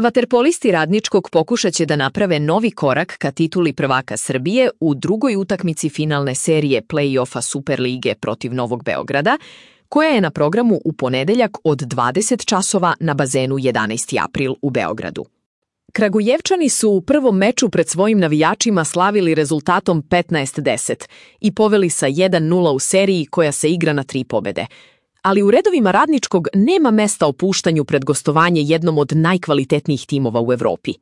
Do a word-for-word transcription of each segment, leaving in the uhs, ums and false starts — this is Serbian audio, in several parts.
Vaterpolisti Radničkog pokušaće da naprave novi korak ka tituli prvaka Srbije u drugoj utakmici finalne serije play-offa Superlige protiv Novog Beograda, koja je na programu u ponedeljak od dvadeset časova na bazenu jedanaesti april u Beogradu. Kragujevčani su u prvom meču pred svojim navijačima slavili rezultatom petnaest deset i poveli sa jedan nula u seriji koja se igra na tri pobede. Ali u redovima Radničkog nema mesta opuštanju pred gostovanje jednom od najkvalitetnijih timova u Evropi.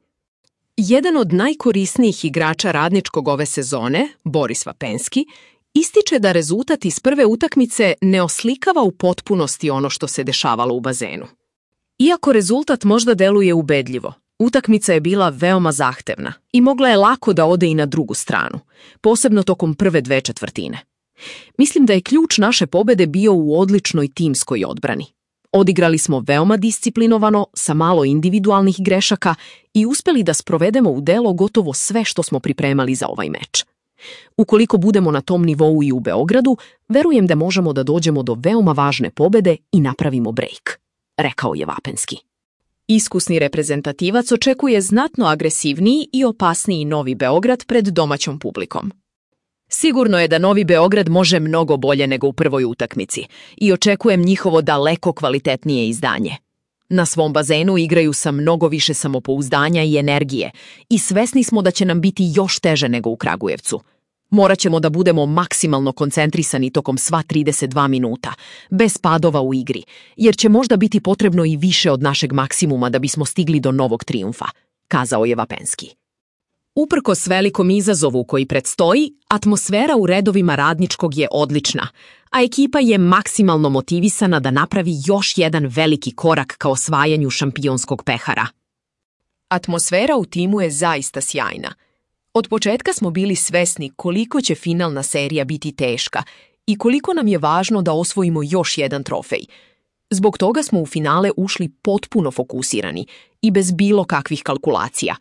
Jedan od najkorisnijih igrača Radničkog ove sezone, Boris Vapenski, ističe da rezultat iz prve utakmice ne oslikava u potpunosti ono što se dešavalo u bazenu. Iako rezultat možda deluje ubedljivo, utakmica je bila veoma zahtevna i mogla je lako da ode i na drugu stranu, posebno tokom prve dve četvrtine. Mislim da je ključ naše pobede bio u odličnoj timskoj odbrani. Odigrali smo veoma disciplinovano, sa malo individualnih grešaka i uspeli da sprovedemo u delo gotovo sve što smo pripremali za ovaj meč. Ukoliko budemo na tom nivou i u Beogradu, verujem da možemo da dođemo do veoma važne pobede i napravimo break, rekao je Vapenski. Iskusni reprezentativac očekuje znatno agresivniji i opasniji Novi Beograd pred domaćom publikom. Sigurno je da Novi Beograd može mnogo bolje nego u prvoj utakmici i očekujem njihovo daleko kvalitetnije izdanje. Na svom bazenu igraju sa mnogo više samopouzdanja i energije i svesni smo da će nam biti još teže nego u Kragujevcu. Morat ćemo da budemo maksimalno koncentrisani tokom sva trideset dva minuta, bez padova u igri, jer će možda biti potrebno i više od našeg maksimuma da bismo stigli do novog trijumfa, kazao je Vapenski. Uprkos velikom izazovu koji predstoji, atmosfera u redovima Radničkog je odlična, a ekipa je maksimalno motivisana da napravi još jedan veliki korak ka osvajanju šampionskog pehara. Atmosfera u timu je zaista sjajna. Od početka smo bili svesni koliko će finalna serija biti teška i koliko nam je važno da osvojimo još jedan trofej. Zbog toga smo u finale ušli potpuno fokusirani i bez bilo kakvih kalkulacija.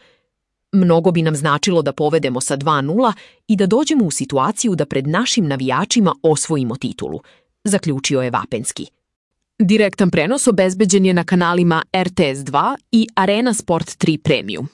Mnogo bi nam značilo da povedemo sa dva nula i da dođemo u situaciju da pred našim navijačima osvojimo titulu, zaključio je Vapenski. Direktan prenos obezbeđen je na kanalima R T S dva i Arena Sport tri Premium.